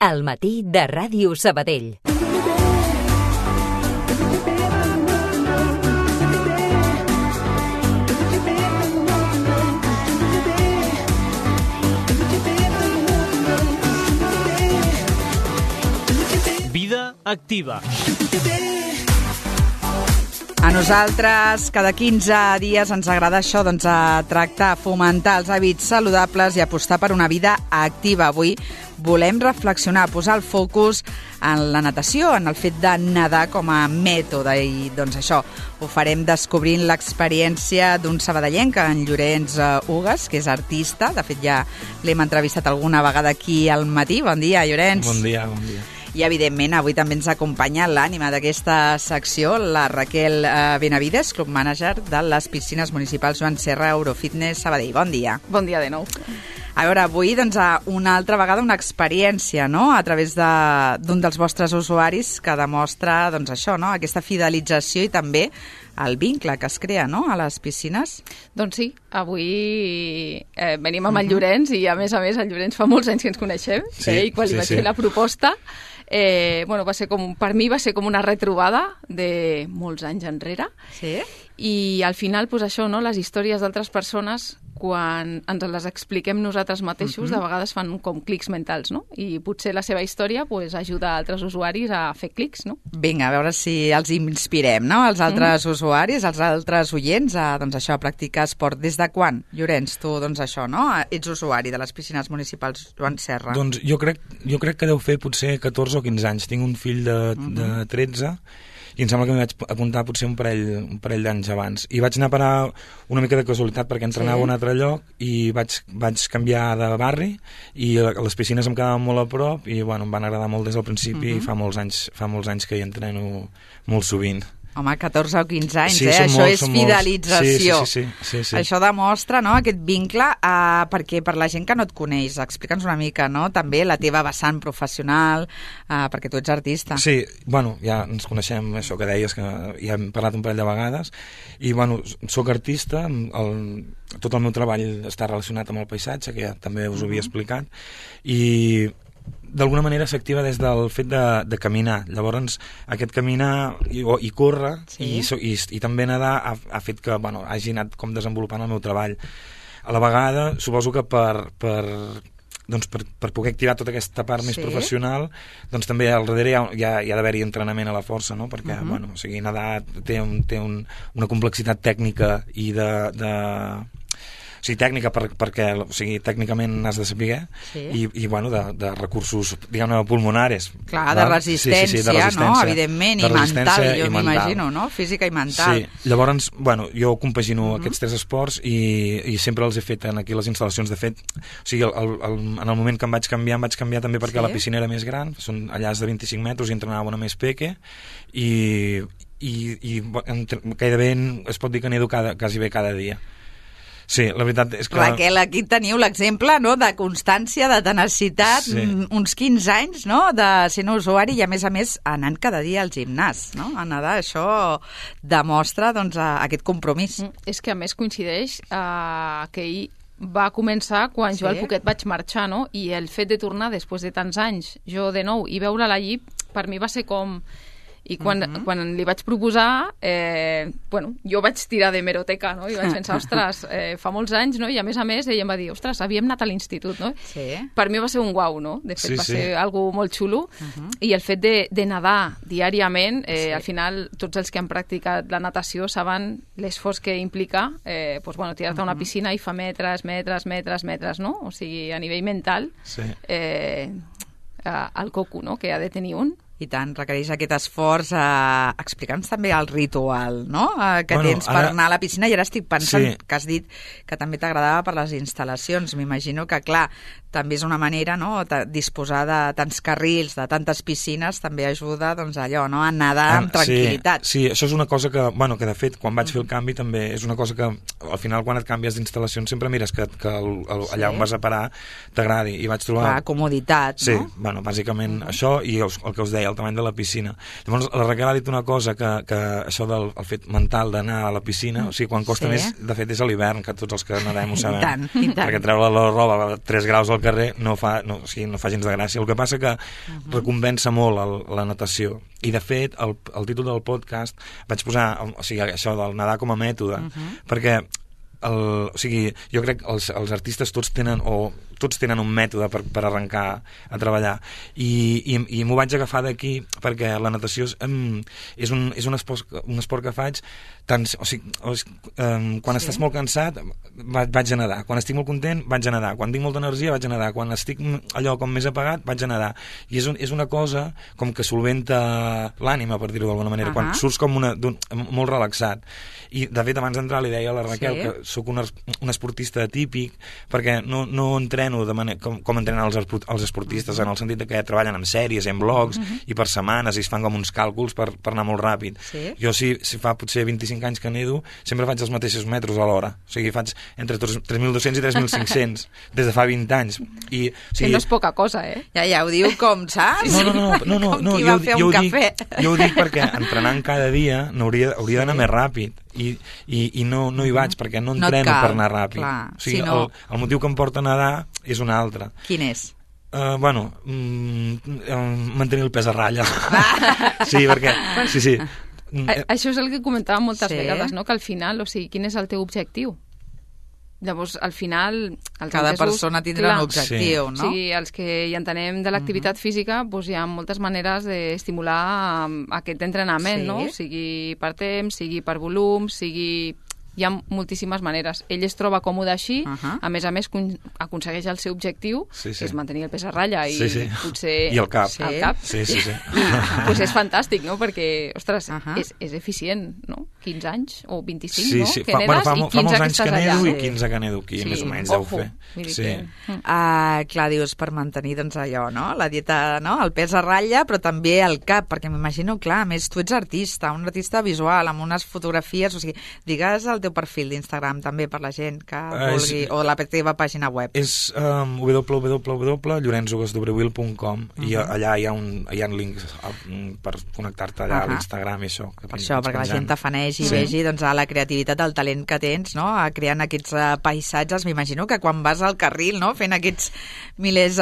Al matí de Ràdio Sabadell. Vida activa. A nosaltres, cada 15 dies ens agrada això, doncs, a tractar, fomentar els hàbits saludables i apostar per una vida activa. Avui volem reflexionar, posar el focus en la natació, en el fet de nedar com a mètode. I doncs això, ho farem descobrint l'experiència d'un sabadellenc, en Llorenç Ugues, que és artista. De fet, ja l'hem entrevistat alguna vegada aquí al matí. Bon dia, Llorenç. Bon dia, bon dia. I, evidentment, avui també ens acompanya l'ànima d'aquesta secció, la Raquel Benavides, club manager de les piscines municipals Joan Serra Eurofitness Sabadell. Bon dia. Bon dia de nou. A veure, avui, doncs, una altra vegada una experiència, no?, a través d'un dels vostres usuaris que demostra, doncs, això, no?, aquesta fidelització i també el vincle que es crea, no?, a les piscines. Doncs sí, avui venim amb el Llorenç i, a més, el Llorenç fa molts anys que ens coneixem. Sí, I quan li vaig fer la proposta, va ser per mi va ser com una retrobada de molts anys enrere. Sí. I al final, doncs això, no?, les històries d'altres persones, quan ens les expliquem nosaltres mateixos, de vegades fan com clics mentals, no? I potser la seva història ajuda altres usuaris a fer clics, no? Vinga, a veure si els inspirem, no?, els altres usuaris, els altres oients, doncs això, a practicar esport. Des de quan, Llorenç, tu, doncs això, no?, ets usuari de les piscines municipals Joan Serra? Doncs jo crec que deu fer potser 14 o 15 anys. Tinc un fill de 13 i em sembla que m'hi vaig apuntar potser un parell d'anys abans. I vaig anar a parar una mica de casualitat perquè entrenava a un altre lloc i vaig canviar de barri i les piscines em quedaven molt a prop i bueno, em van agradar molt des del principi i fa molts anys que hi entreno molt sovint. Home, 14 o 15 anys, sí, això és fidelització. Sí. Això demostra, no?, aquest vincle, perquè per la gent que no et coneix, explica'ns una mica, no?, també la teva vessant professional, perquè tu ets artista. Sí, bueno, ja ens coneixem, això que deies, que ja hem parlat un parell de vegades, i bueno, soc artista, tot el meu treball està relacionat amb el paisatge, que ja també us ho havia explicat, i d'alguna manera s'activa des del fet de caminar. Llavors, aquest caminar i córrer i també nedar ha fet que hagi anat com desenvolupant el meu treball. A la vegada, suposo que per poder activar tota aquesta part més professional, doncs també al darrere hi ha d'haver-hi entrenament a la força, no? Perquè nedar té una complexitat tècnica i tècnica perquè tècnicament has de saber i de recursos, diguem-ne, pulmonares. Clar, de resistència, no?, evidentment, i mental, jo m'imagino, no?, física i mental. Sí, llavors, jo compagino aquests tres esports i sempre els he fet aquí les instal·lacions. De fet, en el moment que em vaig canviar també perquè la piscina era més gran, són allà de 25 metres i entrenava una més peque i gairebé es pot dir que nedo quasi bé cada dia. Sí, la veritat és que... Raquel, aquí teniu l'exemple, no?, de constància, de tenacitat, uns 15 anys, no?, de ser un usuari i, a més, anant cada dia al gimnàs, no?, a nedar. Això demostra, doncs, aquest compromís. És que, a més, coincideix que ell va començar quan jo al poquet vaig marxar, no?, i el fet de tornar després de tants anys, jo de nou, i veure la lli, per mi va ser com... I quan li vaig proposar, jo vaig tirar de meroteca, no? I vaig pensar, ostres, fa molts anys, no? I a més, ella em va dir, ostres, havíem anat a l'institut, no? Sí. Per mi va ser un guau, no? De fet, va ser algo molt xulo. I el fet de nedar diàriament, al final, tots els que han practicat la natació saben l'esforç que implica tirar-te a una piscina i fa metres, no? O sigui, a nivell mental, el coco, no?, que ha de tenir un. I tant, requereix aquest esforç. Explica'ns també el ritual, no?, que tens per anar a la piscina. I ara estic pensant que has dit que també t'agradava per les instal·lacions. M'imagino que, clar, també és una manera, no?, disposar de tants carrils, de tantes piscines, també ajuda, doncs, allò, no?, a nedar amb tranquil·litat. Sí, això és una cosa que de fet, quan vaig fer el canvi, també és una cosa que, al final, quan et canvies d'instal·lacions, sempre mires que allà on vas a parar t'agradi. I vaig trobar... La comoditat, no? Sí, bàsicament això i el que us deia, el tamany de la piscina. Llavors, la Raquel ha dit una cosa, que això del fet mental d'anar a la piscina, quan costa més, de fet, és a l'hivern, que tots els que nedem ho sabem. I tant. Perquè treure la roba a 3 graus al al carrer no fa gens de gràcia. El que passa que recompensa molt la natació. I, de fet, el títol del podcast vaig posar això del nedar com a mètode, perquè jo crec que els artistes tots tenen un mètode per arrencar a treballar i m'ho vaig agafar d'aquí perquè la natació és un esport que faig quan estàs molt cansat vaig a nedar, quan estic molt content vaig a nedar, quan tinc molta energia vaig a nedar, quan estic allò com més apagat vaig a nedar, i és una cosa com que solventa l'ànima, per dir-ho d'alguna manera, quan surts com molt relaxat. I de fet abans d'entrar li deia a la Raquel que soc un esportista atípic perquè no entreno de manera com entrenen els esportistes, en el sentit que treballen en sèries, en blogs i per setmanes i es fan com uns càlculs per anar molt ràpid. Jo si fa potser 25 anys que nedo sempre faig els mateixos metres a l'hora, o sigui faig entre 3.200 i 3.500 des de fa 20 anys. Que no és poca cosa, Ja ho diu com, saps? No, qui va fer un cafè. Jo ho dic perquè entrenant cada dia hauria d'anar més ràpid i no hi vaig perquè no entreno per anar ràpid. O sigui, el motiu que em porta a nedar és un altre. Quin és? Mantenir el pes a ratlla. Sí, perquè... Sí. Això és el que comentàvem moltes vegades, no? Que al final, quin és el teu objectiu? Llavors, al final... Cada persona tindrà un objectiu, no? O sigui, els que hi entenem de l'activitat física, hi ha moltes maneres d'estimular aquest entrenament, no? Sigui per temps, sigui per volum, hi ha moltíssimes maneres. Ell es troba còmode així, a més aconsegueix el seu objectiu, que és mantenir el pes a ratlla i potser... I el cap. Sí. Pues és fantàstic, no? Perquè, ostres, és eficient, no? 15 anys o 25, no? Que nedes fa i 15 molts que anys estàs que allà. nedo i 15 que nedo aquí, més o menys deu fer. Clar, dius, per mantenir allò, no? La dieta, no? El pes a ratlla, però també el cap, perquè m'imagino, clar, a més tu ets artista, un artista visual, amb unes fotografies, o sigui, digues el teu perfil d'Instagram també per la gent que vulgui, o la teva pàgina web. És www.llorenzogasdobrewill.com i allà hi ha links per connectar-te allà a l'Instagram i això. Per això, perquè la gent t'afanegi i vegi la creativitat, el talent que tens, no? Creant aquests paisatges. M'imagino que quan vas al carril, no? Fent aquests milers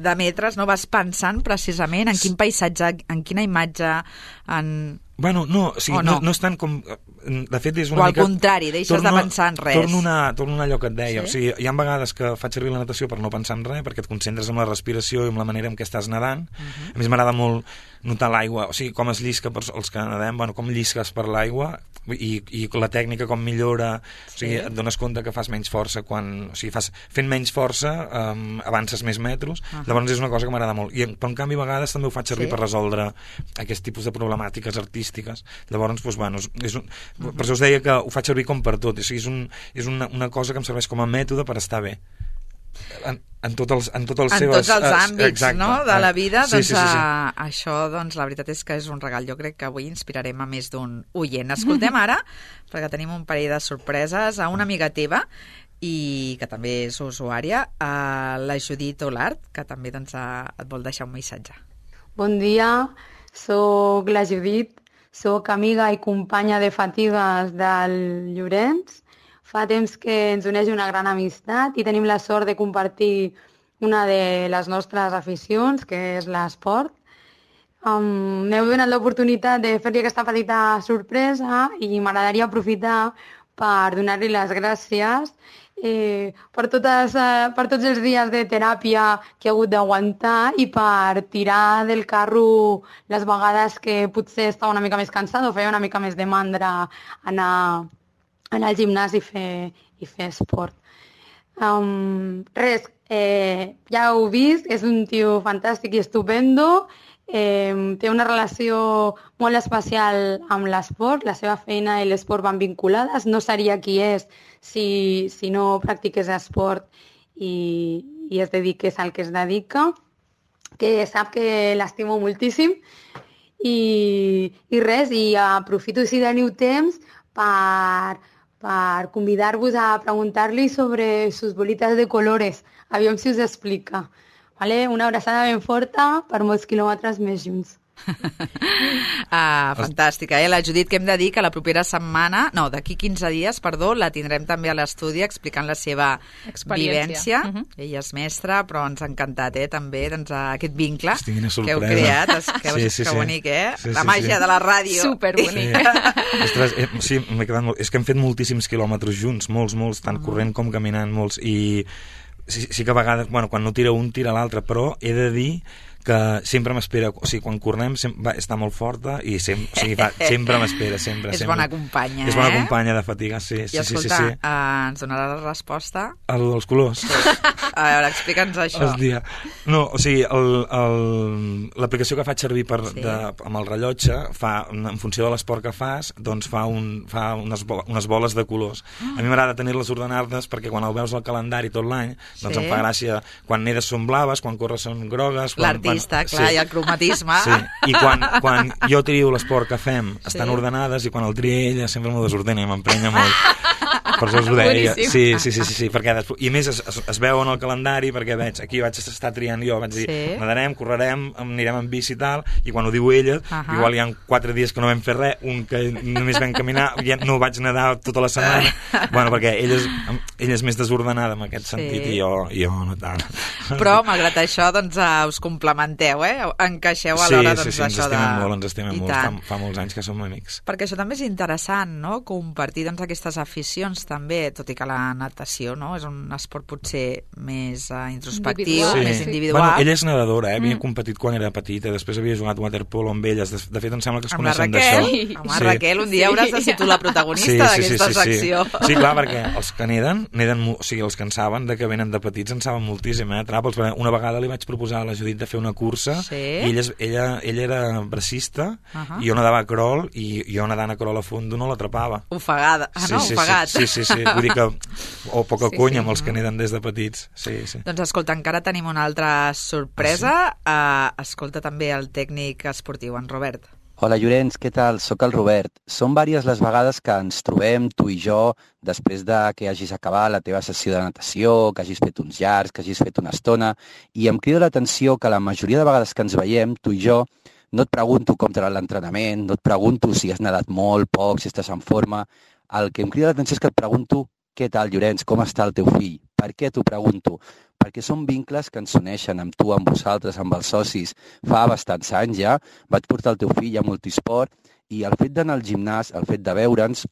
de metres, no? Vas pensant precisament en quin paisatge, en quina imatge, Bueno, no és tant com... De fet, és una mica... O al mica... contrari, deixes de pensar en res. Torno a allò que et deia. O sigui, hi ha vegades que faig servir la natació per no pensar en res, perquè et concentres en la respiració i en la manera en què estàs nedant. A més, m'agrada molt notar l'aigua, o sigui, com es llisca per els que nedem, com llisques per l'aigua i la tècnica com millora, o sigui, et dones compte que fas menys força quan... O sigui, fent menys força avances més metros, llavors és una cosa que m'agrada molt. Però en canvi a vegades també ho faig servir per resoldre aquest tipus de problemàtiques artístiques. Llavors, per això us deia que ho faig servir com per tot, o sigui, és una cosa que em serveix com a mètode per estar bé. En tots els àmbits, no? De la vida, sí. Això, la veritat és que és un regal. Jo crec que avui inspirarem a més d'un oient. Escoltem ara, perquè tenim un parell de sorpreses, a una amiga teva i que també és usuària, la Judit Olart, que també et vol deixar un missatge. Bon dia, soc la Judit, soc amiga i companya de fatigues del Llorenç. Fa temps que ens uneix una gran amistat i tenim la sort de compartir una de les nostres aficions, que és l'esport. M'heu donat l'oportunitat de fer-li aquesta petita sorpresa i m'agradaria aprofitar per donar-li les gràcies per tots els dies de teràpia que he hagut d'aguantar i per tirar del carro les vegades que potser estava una mica més cansada o feia una mica més de mandra anar al gimnàs i fer esport. Ja heu vist, és un tio fantàstic i estupendo, té una relació molt especial amb l'esport, la seva feina i l'esport van vinculades, no seria qui és si no practiqués esport i es dediqués al que es dedica, que sap que l'estimo moltíssim i aprofito si teniu temps per convidar-vos a preguntar-li sobre sus bolitas de colores. Aviam si us explica. Vale? Una abraçada ben forta per molts quilòmetres més junts. Fantàstica, La Judit, que hem de dir que la propera setmana, d'aquí 15 dies, la tindrem també a l'estudi explicant la seva vivència. Ella és mestra, però ens ha encantat, també, doncs, aquest vincle que heu creat. Que bonic, La màgia de la ràdio. Superbonic. Sí, m'he quedat molt... És que hem fet moltíssims quilòmetres junts, molts, tant corrent com caminant, molts, i sí que a vegades, quan no tira un, tira l'altre, però he de dir que sempre m'espera, o sigui, quan correm està molt forta i sempre m'espera, sempre. És bona companya, És bona companya de fatiga, sí. I escolta, ens donarà la resposta? El dels colors. A veure, explica'ns això. Hòstia. No, o sigui, l'aplicació que faig servir amb el rellotge en funció de l'esport que fas, doncs fa unes boles de colors. A mi m'agrada tenir-les ordenades perquè quan el veus al calendari tot l'any, doncs em fa gràcia, quan nedes són blaves, quan corres són grogues, i el cromatisme. Sí, i quan jo trio l'esport que fem estan ordenades, i quan el tria ella sempre m'ho desordena i m'emprenya molt. Per això us ho deia. Sí, perquè després, i a més es veu en el calendari, perquè aquí vaig estar triant jo, vaig dir, nadarem, correrem, anirem en bici i tal, i quan ho diu ella, igual hi ha 4 dies que no vam fer res, un que només vam caminar, ja no vaig nedar tota la setmana, perquè ella és més desordenada en aquest sentit, i jo no tant. Però, malgrat això, doncs us complementeu, encaixeu a l'hora d'això de... Sí, ens estimem molt, fa molts anys que som amics. Perquè això també és interessant, no?, compartir aquestes aficions també, tot i que la natació és un esport potser més introspectiu, més individual. Ella és nedadora, havia competit quan era petita, després havia jugat waterpolo amb elles, de fet em sembla que es coneixen d'això. Amb la Raquel, un dia hauràs de ser tu la protagonista d'aquesta secció. Sí, clar, perquè els que neden, o sigui, els que en saben, de que venen de petits, en saben moltíssim, Tràpols. Una vegada li vaig proposar a la Judit de fer una cursa, i ella era bracista, i jo nedava a crawl, i jo nedant a crawl a fondo no l'atrapava. Ofegada. Ofegat. Sí, vull dir que... O poca conya amb els que neden des de petits. Sí. Doncs escolta, encara tenim una altra sorpresa. Escolta també el tècnic esportiu, en Robert. Hola Llorenç, què tal? Soc el Robert. Són vàries les vegades que ens trobem, tu i jo, després de que hagis acabat la teva sessió de natació, que hagis fet uns llargs, que hagis fet una estona, i em crida l'atenció que la majoria de vegades que ens veiem, tu i jo, no et pregunto com t'ha anat l'entrenament, no et pregunto si has nedat molt, poc, si estàs en forma. El que em crida l'atenció és que et pregunto què tal, Llorenç, com està el teu fill? Per què t'ho pregunto? Perquè són vincles que ens uneixen amb tu, amb vosaltres, amb els socis. Fa bastants anys ja vaig portar el teu fill a multisport i el fet d'anar al gimnàs, el fet de veure'ns,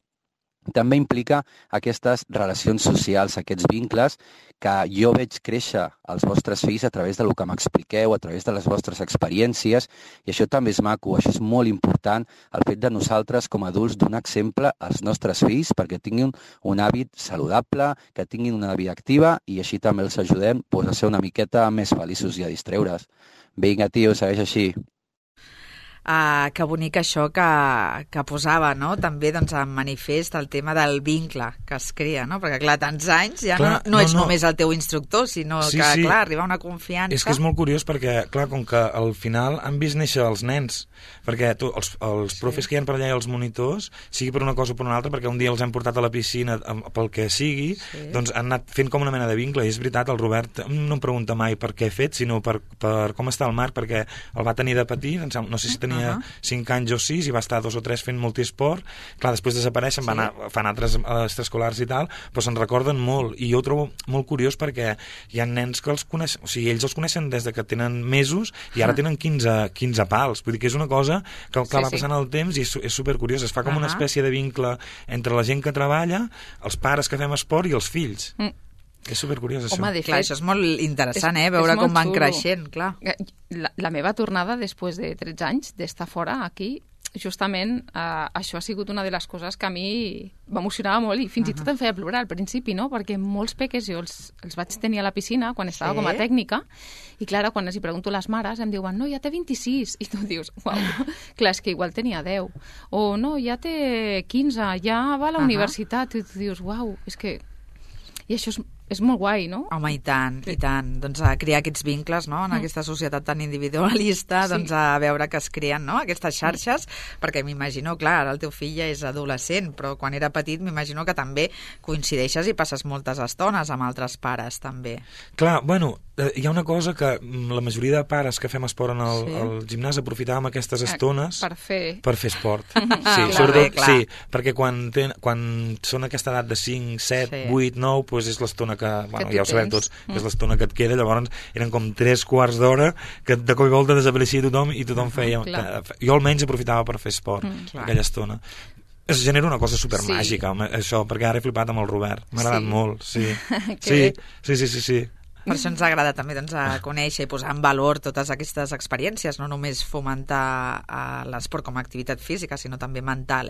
també implica aquestes relacions socials, aquests vincles que jo veig créixer als vostres fills a través del que m'expliqueu, a través de les vostres experiències, i això també és maco, això és molt important, el fet de nosaltres com a adults donar exemple als nostres fills perquè tinguin un hàbit saludable, que tinguin una vida activa i així també els ajudem a ser una miqueta més feliços i a distreure's. Vinga, tio, segueix així. Que bonic això que posava, no?, també en manifest el tema del vincle que es crea, no?, perquè clar, tants anys ja no ets només el teu instructor, sinó que clar, arriba una confiança. És que és molt curiós perquè, clar, com que al final han vist néixer els nens, perquè els profes que hi ha per allà i els monitors, sigui per una cosa o per una altra, perquè un dia els hem portat a la piscina pel que sigui, doncs han anat fent com una mena de vincle, i és veritat, el Robert no em pregunta mai per què he fet, sinó per com està el Marc, perquè el va tenir de petit, no sé si tenia 5 anys o 6 i va estar 2 o 3 fent multisport. Clar, després desapareixen, fan altres extraescolars i tal, però se'n recorden molt, i jo ho trobo molt curiós perquè hi ha nens que els coneixen, o sigui, ells els coneixen des de que tenen mesos i ara tenen 15 pals, vull dir que és una cosa que va passant el temps i és supercuriós, es fa com una espècie de vincle entre la gent que treballa, els pares que fem esport i els fills. És supercuriós, això. Home, clar, això és molt interessant, veure com van creixent, clar. La meva tornada després de 13 anys d'estar fora aquí, justament això ha sigut una de les coses que a mi m'emocionava molt i fins i tot em feia plorar al principi, no? Perquè molts peques jo els vaig tenir a la piscina quan estava com a tècnica i clar, quan els hi pregunto a les mares em diuen, no, ja té 26, i tu dius, uau, clar, és que igual tenia 10, o no, ja té 15, ja va a la universitat, i tu dius, uau, és que... I això és molt guai, no? Home, i tant, i tant. Doncs a crear aquests vincles, no?, en aquesta societat tan individualista, doncs a veure que es creen, no?, aquestes xarxes, perquè m'imagino, clar, ara el teu fill ja és adolescent, però quan era petit m'imagino que també coincideixes i passes moltes estones amb altres pares, també. Clar, bueno, hi ha una cosa que la majoria de pares que fem esport al gimnàs aprofitàvem aquestes estones per fer esport. Clar, sobretot, clar. sí, perquè quan són aquesta edat de 5, 7, 8, 9, doncs és l'estona que, bueno, tu ja ho sabem tens. tots, és l'estona que et queda, llavors eren com 3 quarts d'hora que de cop i volta desapareixia tothom i tothom feia... Jo almenys aprofitava per fer esport aquella estona. Es genera una cosa supermàgica, això, perquè ara he flipat amb el Robert. M'ha agradat molt, sí. Sí. Per això ens agrada també doncs, a conèixer i posar en valor totes aquestes experiències, no només fomentar l'esport com a activitat física, sinó també mental,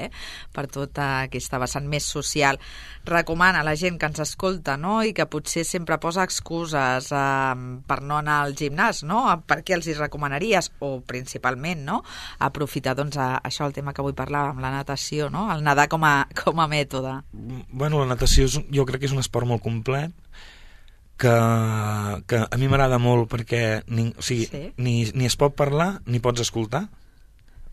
per tota aquesta vessant més social. Recomana a la gent que ens escolta, no?, i que potser sempre posa excuses per no anar al gimnàs, no?, per què els hi recomanaries, o principalment, no?, aprofitar doncs, això, el tema que avui parlàvem, la natació, no?, el nedar com a mètode. Bueno, la natació jo crec que és un esport molt complet, que a mi m'agrada molt perquè ni es pot parlar ni pots escoltar,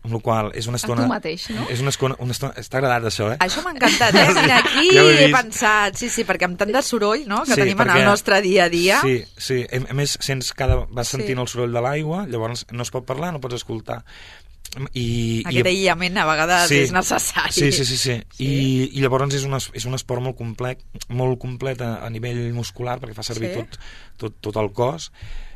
amb la qual és una estona... A tu mateix, no? És una estona... Està agradat, això, Això m'ha encantat, Mira, aquí ja he pensat, sí, perquè amb tant de soroll, no?, que tenim en el nostre dia a dia... Sí. A més, vas sentint el soroll de l'aigua, llavors no es pot parlar, no pots escoltar. Aquest aïllament a vegades és necessari. Sí. I llavors és un esport molt complet a nivell muscular, perquè fa servir tot el cos,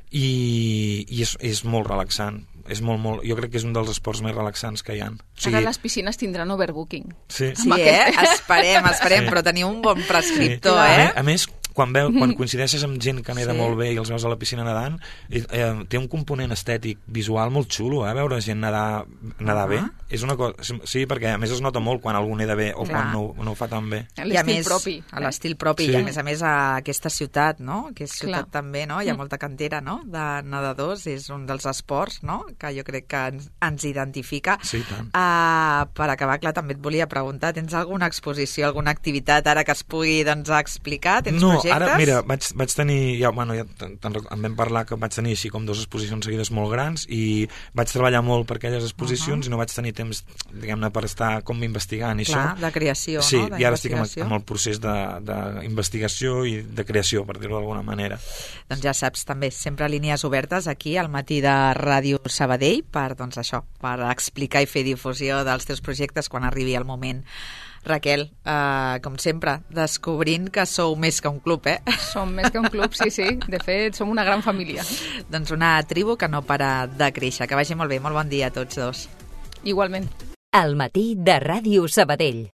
i és molt relaxant. Jo crec que és un dels esports més relaxants que hi ha. Ara les piscines tindran overbooking. Sí, esperem, però teniu un bon prescriptor, A més, quan coincideixes amb gent que neda molt bé i els veus a la piscina nedant, té un component estètic visual molt xulo, veure gent nedar bé. És una cosa, sí, perquè a més es nota molt quan algú neda bé o quan no ho fa tan bé. L'estil propi. L'estil propi, i a més a aquesta ciutat, no?, que és ciutat també, no?, hi ha molta cantera, no?, de nedadors, és un dels esports, no?, que jo crec que ens identifica. Sí, tant. Per acabar, clar, també et volia preguntar, tens alguna exposició, alguna activitat ara que es pugui, doncs, explicar? Tens projectes? Ara, mira, vaig tenir, ja en vam parlar que vaig tenir així com 2 exposicions seguides molt grans i vaig treballar molt per aquelles exposicions i no vaig tenir temps, diguem-ne, per estar com investigant i això. De creació, sí, no? I ara estic amb el procés d'investigació i de creació, per dir-ho d'alguna manera. Doncs ja saps, també, sempre línies obertes aquí al matí de Ràdio Sabadell per, doncs això, per explicar i fer difusió dels teus projectes quan arribi el moment. Raquel, com sempre, descobrint que sou més que un club, Som més que un club, sí. De fet, som una gran família. Doncs una tribu que no para de créixer. Que vagi molt bé, molt bon dia a tots dos. Igualment. Al matí de Ràdio Sabadell.